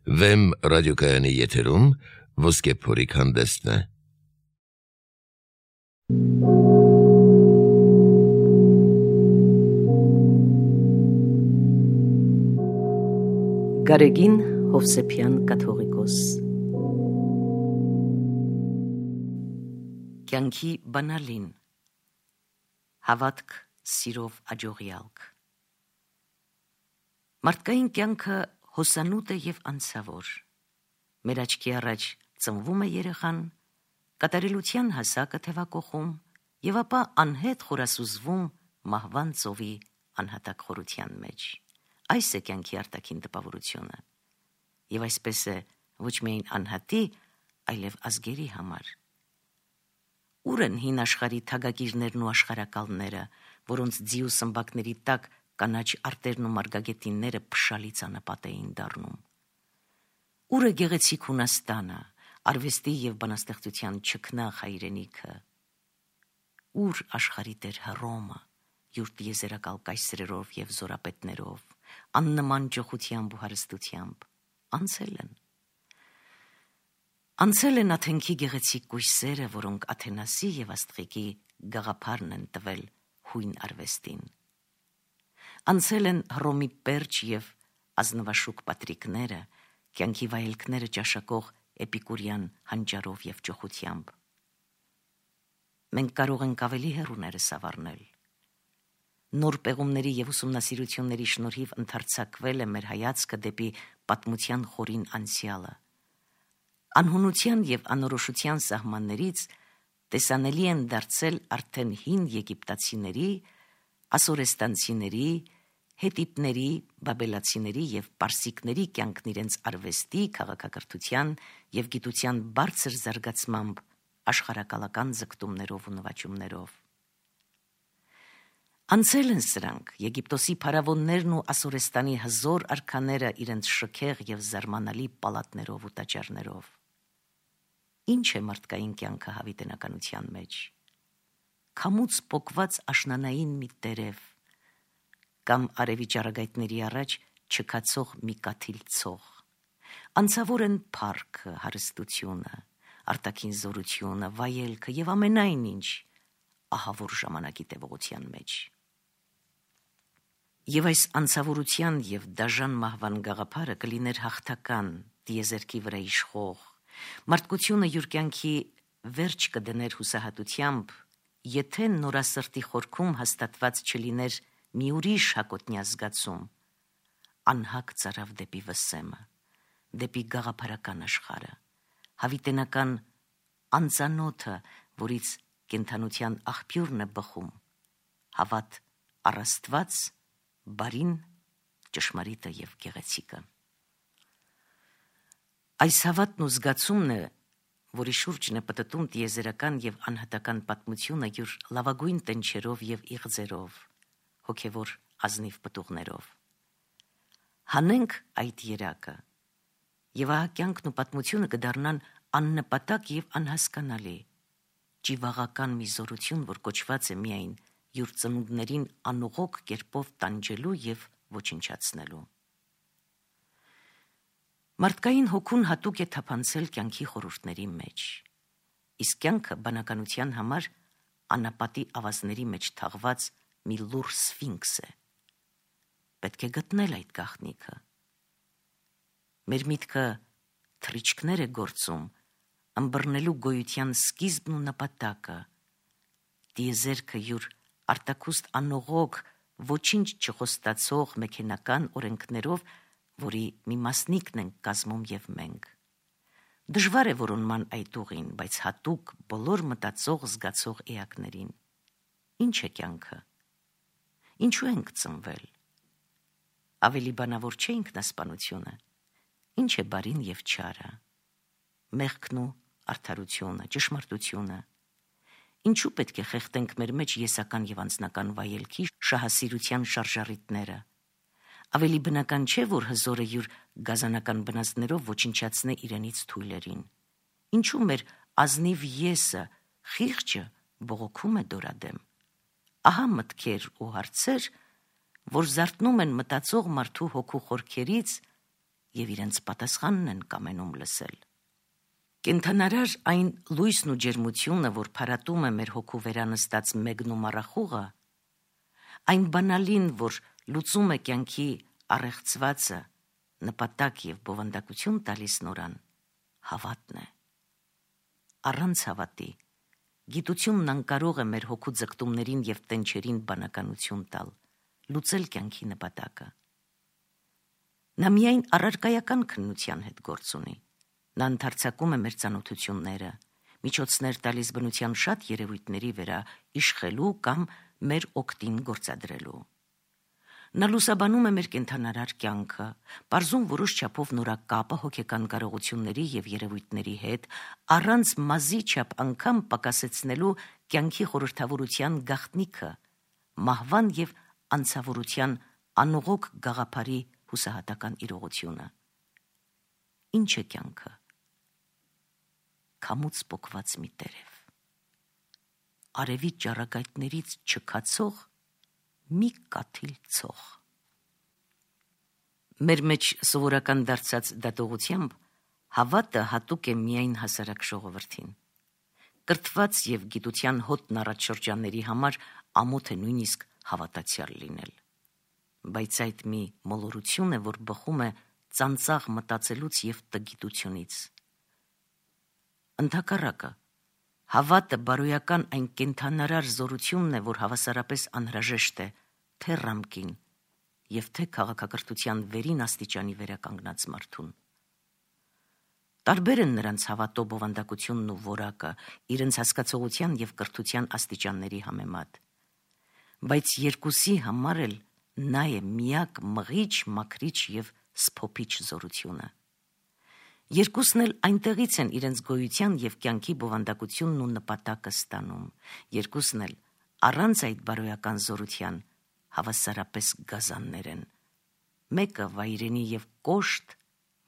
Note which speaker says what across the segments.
Speaker 1: Վեմ ռադիոկայանի եթերում ոսկե փորիկ հանդեսն է։
Speaker 2: Գարեգին Հովսեփյան կաթողիկոս։ Կյանքի բանալին, հավատք սիրով աջողյալք։ Մարդկային կյանքը հոսանուտ է և անցավոր։ Մեր աչքի առաջ ծնվում է երեխան, կատարելության հասակը թևակողում և ապա անհետ խորասուզվում մահվան ծովի անհատակ խորության մեջ։ Այս է կյանքի արտաքին տպավորությունը, և այսպես է ոչ միայն անհատի, այլև ազգերի համար։ Ուր են հին աշխարհի թագագիրներն ու աշխարհակալները, որոնց ձիու սմբակների տակ կանաչ արտերն ու մարգագետինները փշալից անապատ էին դառնում։ Ուր է գեղեցիկ Հունաստանը, արվեստի և բանաստեղծության չքնաղ հայրենիքը։ Ուր աշխարհի տեր Հռոմը, յուր տիեզերակալ կայսրերով և զորապետներով, աննման ճոխությամբ ու հարստությամբ, անցել են Աթենքի գեղեցիկ կույսերը, որոնք Աթենասի և Աստղիկի գաղափարն են տվել հույն արվեստին։ Անցել են Հռոմի պերճ և ազնվաշուք պատրիկները, կյանքի վայելքները ճաշակող էպիկուրյան հանճարով և ճոխությամբ։ Մենք կարող ենք ավելի հեռուներս ավառնել։ Նոր պեղումների և ուսումնասիրությունների շնորհիվ ընդարձակվել է մեր հայացքը դեպի պատմության խորին անցյալը։ Անհունության և անորոշության սահմաններից տեսանելի են դարձել արդեն հին եգիպտացիների, ասորեստանցիների, հետիտների, բաբելացիների և պարսիկների կյանքն իրենց արվեստի, քաղաքակրթության և գիտության բարձր զարգացմամբ, աշխարհակալական ձգտումներով ու նվաճումներով։ Անցել են սրանք Եգիպտոսի փարավոններն ու Ասորեստանի հզոր արքաները իրենց շքեղ և զարմանալի պալատներով ու տաճարներով։ Ինչ է մարդկային կյանքը հավիտենականության մեջ։ Քամուց պոկված աշնանային մի տերև, կամ արևի ճառագայթների առաջ չքացող մի կաթիլ ցող։ Անցավոր են փառքը, հարստությունը, արտաքին զորությունը, վայելքը և ամենայն ինչ ահավոր ժամանակի տևողության մեջ։ Եվ այս անցավորության և դաժան մահվան գաղափարը կլիներ հաղթական, տիեզերքի վրա իշխող, մարդկությունը յուր կյանքի վերջ կդներ հուսահատությամբ, եթե նորասրտի խորքում հաստատված չլիներ մի ուրիշ հակոտնյա զգացում, անհակ ծարավ դեպի վսեմը, դեպի գաղափարական աշխարհը, հավիտենական անծանոթը, որից կենդանության աղբյուրն է բխում, հավատ առ Աստված, բարին, ճշմարիտը և գեղեցիկը։ Այս հավատն ու զգացումն է, որի շուրջն է պտտում տիեզերական և անհատական պատմությունը յուր լավագույն տնչերով և իղձերով, հոգևոր ազնիվ պտուղներով։ Հանենք այդ երակը, և ահա կյանքն ու պատմությունը կդառնան աննպատակ և անհասկանալի, ճիվաղական մի զորություն, որ կոչված է միայն յուր ծնունդներին անուղոք կերպով տանջելու և ոչնչացնելու։ Մարդկային հոգուն հատուկ է թափանցել կյանքի խորհուրդների մեջ, իսկ կյանքը բանականության համար անապատի ավազների մեջ թաղված մի լուռ սֆինքս է։ Պետք է գտնել այդ գաղտնիքը։ Մեր միտքը թռիչքներ է գործում, ըմբռնելու գոյության սկիզբն ու նպատակը, տիեզերքը յուր արտաքուստ անողոք, ոչինչ չխոստացող մեքենական օրենքներով, որի մի մասնիկն ենք կազմում և մենք։ Դժվար է որոնման այդ ուղին, բայց հատուկ բոլոր մտածող զգացող էակներին։ Ինչ է կյանքը։ Ինչու ենք ծնվել։ Ավելի բանավոր չէ ինքնասպանությունը։ Ինչ է բարին և չարը։ Մեղքն ու արդարությունը, ճշմարտությունը։ Ինչու պետք է խեղդենք մեր մեջ եսական և անձնական վայելքի շահասիրության շարժառիթները։ Ավելի բնական չէ, որ հզորը յուր գազանական բնազդներով ոչնչացնե իրենից թույլերին։ Ինչու մեր ազնիվ եսը, խիղճը բողոքում է դորադեմ։ Ահա մտքեր ու հարցեր, որ զարթնում են մտածող մարդու հոգու խորքերից եւ իրենց պատասխանն են կամենում լսել։ Կենթանարար այն լույսն ու ջերմությունը, որ փարատում է մեր հոգու վերանստած մեգն ու մառախուղը, այն բանալին, որ լուծում է կյանքի առեղծվածը, նպատակ եւ բովանդակություն տալիս նորան, հավատն է։ Առանց հավատի գիտությունն անկարող է մեր հոգու ձգտումներին եւ տենչերին բանականություն տալ, լուծել կյանքի նպատակը։ Նա միայն առարկայական քննության հետ գործ ունի։ Նա ընդարձակում է մեր ծանոթությունները, միջոցներ տալիս բնության շատ երևույթների վրա իշխելու կամ մեր օգտին գործադրելու։ Նա լուսաբանում է մեր կենթանարար կյանքը, պարզում որոշ չափով նորակապը հոգեկան կարողությունների եւ երևույթների հետ, առանց մազի չափ անգամ պակասեցնելու կյանքի խորհրդավորության գաղտնիքը, մահվան եւ անցավորության անողոք գաղափարի հուսահատական իրողությունը։ Ինչ է կյանքը։ Քամուց պոկված մի տերև, արևի ճառագայթներից չքացող մի կաթիլ ցող։ Մեր մեջ սովորական դարձած դատողությամբ հավատը հատուկ է միայն հասարակ ժողովրդին։ Կրթված եւ գիտության հոտն առած շրջանների համար ամոթ է նույնիսկ հավատացյալ լինել։ Բայց այդ մի մոլորություն է, որ բխում է ծանծաղ մտածելուց եւ տգիտությունից։ Ընդհակառակը, հավատը բարոյական այն կենթանարար զորությունն է, որ հավասարապես անհրաժեշտ է թե ռամկին եւ թե քաղաքակրթության վերին աստիճանի վերականգնած մարդուն։ Տարբեր են նրանց հավատո բովանդակությունն ու որակը իրենց հասկացողության եւ կրթության աստիճանների համեմատ, բայց երկուսի համար էլ նա է միակ մղիչ, մաքրիչ եւ սփոփիչ զորությունը։ Երկուսն էլ այնտեղից են իրենց գոյության եւ կյանքի բովանդակությունն ու նպատակը ստանում։ Երկուսն էլ առանց այդ բարոյական զորության հավասարապես գազաններ են։ Մեկը վայրենի եւ կոշտ,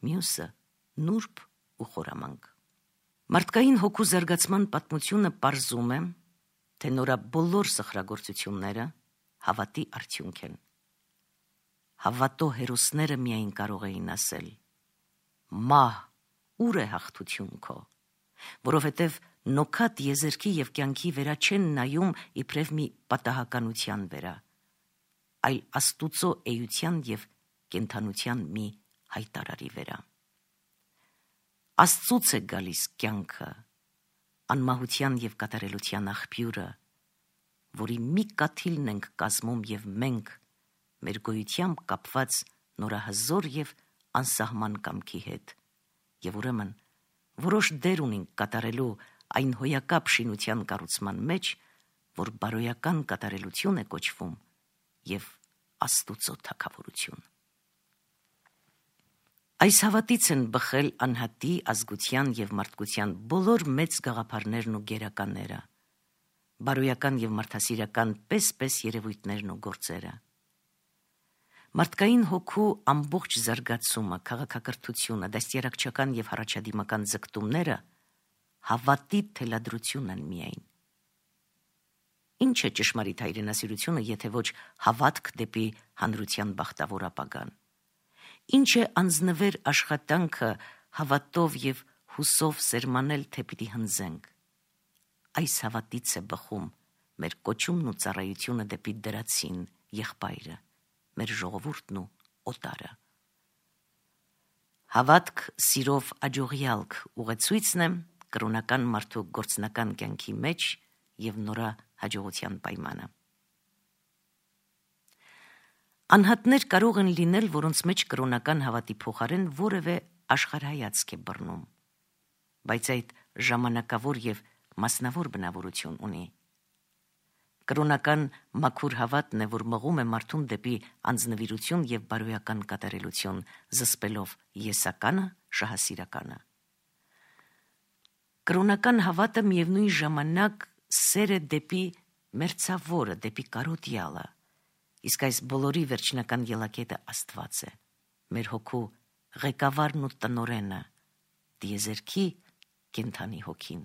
Speaker 2: մյուսը նուրբ ու խորամանկ։ Մարդկային հոգու զարգացման պատմությունը պարզում է, թե նորա բոլոր սխրագործությունները հավատի արդյունք են։ Հավատո հերոսները միայն կարող էին ասել. «Մահ, ուր է հաղթություն քո», որովհետև նոքատ եզերքի եւ կյանքի վրա չեն նայում իբրև մի պատահականության վրա, այլ Աստուծո էության եւ կենթանության մի հայտարարի վրա։ Աստծուց է գալիս կյանքը, անմահության եւ կատարելության աղբյուրը, որի մի կաթիլն ենք կազմում եւ մենք, մեր գոյությամբ կապված նորահզոր եւ անսահման կամքի հետ, եւ ուրեմն որոշ դեր ունենք կատարելու այն հոյակապ շինության կառուցման մեջ, որ բարոյական կատարելություն է կոչվում եւ Աստուծո թագավորություն։ Այս հավատից են բխել անհատի, ազգության եւ մարդկության բոլոր մեծ գաղափարներն ու գերականները, բարոյական եւ մարդասիրական պես երևույթներն ու գործերը։ Մարդկային հոգու ամբողջ զարգացումը, քաղաքակրթությունը, դաստիարակչական եւ հառաջադիմական ձգտումները հավատի թելադրություն են միայն։ Ինչ է ճշմարիտ հայրենասիրությունը, եթե ոչ հավատք դեպի հանրության բախտավոր ապագան։ Ինչ է անձնվեր աշխատանքը հավատով եւ հուսով սերմանել, թե պիտի հնձենք։ Այս հավատից է բխում մեր կոչումն ու ծառայությունը դեպի դրացին, եղբայրը, մեր ժողովուրդն ու օտարը։ Հավատք սիրով աջողյալք ուղեցույցն է կրոնական մարդու գործնական կյանքի մեջ եւ նորա հաջողության պայմանը։ Անհատներ կարող են լինել, որոնց մեջ կրոնական հավատի փոխարեն որևէ աշխարհայացք է բռնում, բայց այդ ժամանակավոր եւ մասնավոր բնավորություն ունի։ Կրոնական մաքուր հավատն է, որ մղում է մարդուն դեպի անձնվիրություն եւ բարոյական կատարելություն, զսպելով եսականը, շահասիրականը։ Կրոնական հավատը միևնույն ժամանակ սեր է դեպի մերձավորը, դեպի կարոտյալը, իսկ այս բոլորի վերջնական ելակետը Աստված է, մեր հոգու ղեկավարն ու տնօրենը, տիեզերքի կենդանի հոգին։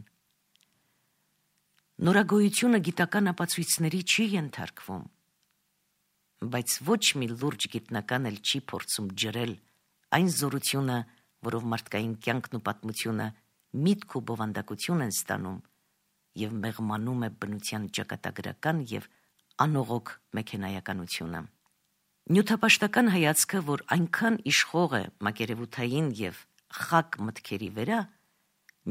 Speaker 2: Նորագոյությունը գիտական ապացույցների չի ենթարկվում, բայց ոչ մի լուրջ գիտնական էլ չի փորձում ջրել Այն զորությունը, որով մարդկային կյանքն ու պատմությունը միտք ու բովանդակություն են ստանում և մեղմանում է բնության ճակատագրական և անողոք մեքենայականությունը։ Նյութապաշտական հայացքը, որ այնքան իշխող է մակերևութային և խակ մտքերի վրա,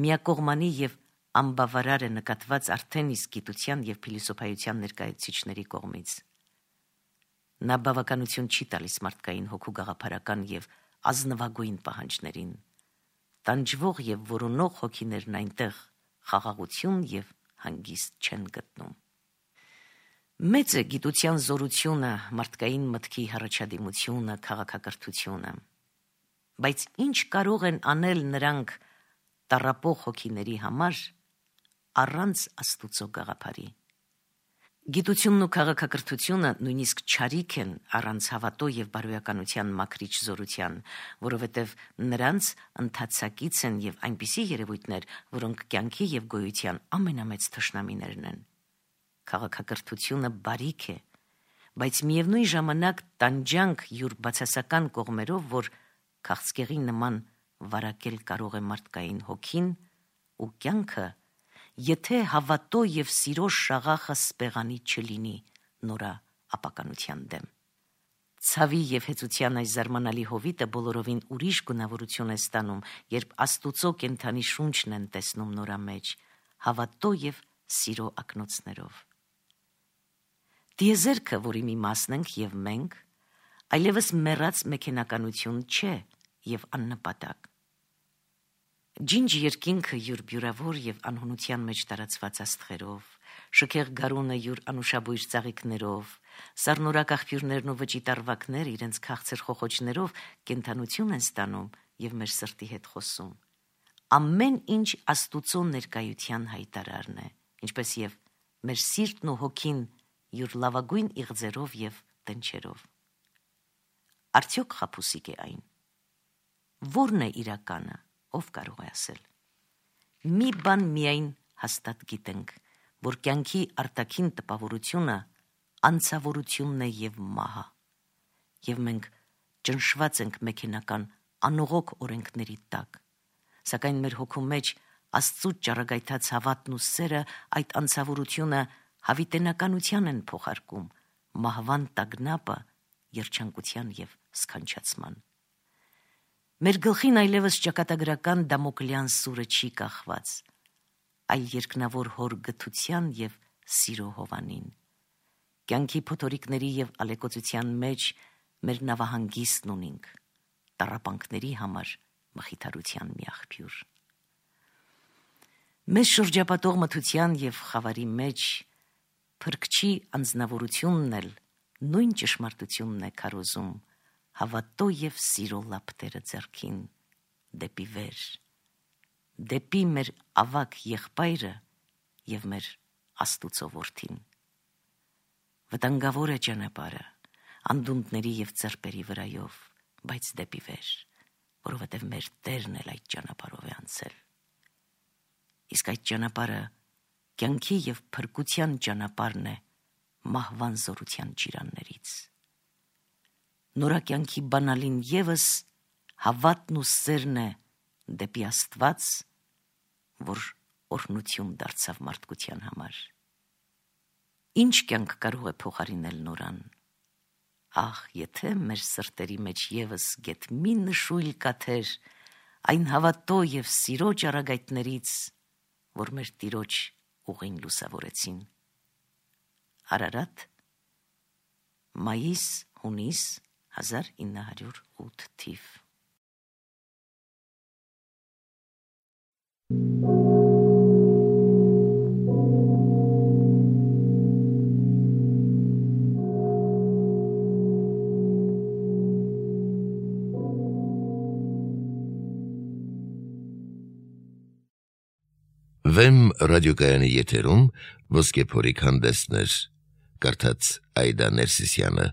Speaker 2: միակողմանի և անբավարար է նկատված արդեն իսկ գիտության և փիլիսոփայության ներկայացուցիչների կողմից։ Նա բավականություն չի տալիս մարդկային հոգու գաղափարական և ազնվագույն պահանջներին։ Տանջվող և որոնող հոգիներն այնտեղ խաղաղություն և հանգիստ չեն գտնում։ Մեծ է գիտության զորությունը, մարդկային մտքի հառաջադիմությունը, քաղաքակրթությունը, բայց ինչ կարող են անել նրանք տառապող հոգիների համար առանց Աստուծո գաղափարի։ Գիտությունն ու քաղաքակրթությունը նույնիսկ չարիք են առանց հավատո և բարոյականության մաքրիչ զորության, որովհետև նրանց ընթացակից են և այնպիսի երևույթներ, որոնք կյանքի և գոյության ամենամեծ թշնամիներն են։ Քաղաքակրթությունը բարիք է, բայց միևնույն ժամանակ տանջանք յուր բացասական կողմերով, որ քաղցկեղի նման վարակել կարող է մարդկային հոգին ու կյանքը, եթե հավատո և սիրո շաղախը սպեղանի չլինի նորա ապականության դեմ։ Ցավի և հեծության այս զարմանալի հովիտը բոլորովին ուրիշ գունավորություն է ստանում, երբ Աստուծո կենդանի շունչն են տեսնում նորա մեջ, հավատո և սիրո ակնոցներով։ Տիեզերքը, որի մի մասն ենք և մենք, այլևս մեռած մեքենականություն չէ և աննպատակ։ Ջինջ երկինքը յուր բյուրավոր և անհունության մեջ տարածված աստղերով, շքեղ գարունը յուր անուշաբույր ծաղիկներով, սառնորակ աղբյուրներն ու վճիտ առվակները իրենց քաղցր խոխոջներով կենդանություն են ստանում և մեր սրտի հետ խոսում։ Ամեն ինչ Աստուծո ներկայության հայտարարն է, ինչպես և մեր սիրտն ու հոգին յուր լավագույն իղձերով և տնչերով։ Արդյոք խաբուսիկ է այն։ Որն է իրականը, ով կարող է ասել։ Մի բան միայն հաստատ գիտենք, որ կյանքի արտաքին տպավորությունը անցավորությունն է և մահը, և մենք ճնշված ենք մեքենական անողոք օրենքների տակ, սակայն մեր հոգու մեջ Աստծու ճառագայթած հավատն ու սերը այդ անցավորությունը հավիտենականության են փոխարկում, մահվան տագնապը երջանկության և սքանչացման։ Մեր գլխին այլևս ճակատագրական Դամոկլյան սուրը չի կախված, այլ երկնավոր հոր գթության և սիրո հովանին։ Կյանքի փոթորիկների և ալեկոծության մեջ մեր նավահանգիստն ունենք, տառապանքների համար մխիթարության մի աղբյուր։ Մեզ շրջապատող մթության և խավարի մեջ Փրկչի անձնավորությունն էլ նույն ճշմարտությունն է քարոզում, հավատո և սիրո լապտերը ձեռքին, դեպի վեր, դեպի մեր ավագ եղբայրը և մեր Աստուծո որդին։ Վտանգավոր է ճանապարհը, անդունդների և ծրպերի վրայով, բայց դեպի վեր, որովհետև մեր Տերն էլ այդ ճանապարհով է անցել։ Իսկ այդ ճանապարհը կյանքի և փրկության ճանապարհն է մահվան զորության ճիրաններից։ Նորակյանքի բանալին ևս հավատն ու սերն է դեպի Աստված, որ օրհնություն դարձավ մարդկության համար։ Ինչ կյանք կարող է փոխարինել նորան։ Ահ, եթե մեր սրտերի մեջ ևս գեթ մի նշույլ կաթեր այն հավատո և սիրո ճառագայթներից, որ մեր Տիրոջ ուղին լուսավորեցին։ Արարատ, մայիս-հունիս 1908 թիվ։
Speaker 1: Վեմ ռադիոկայանի եթերում ոսկե փորիկ հանդեսներ, կարդաց Այդա Ներսիսյանը։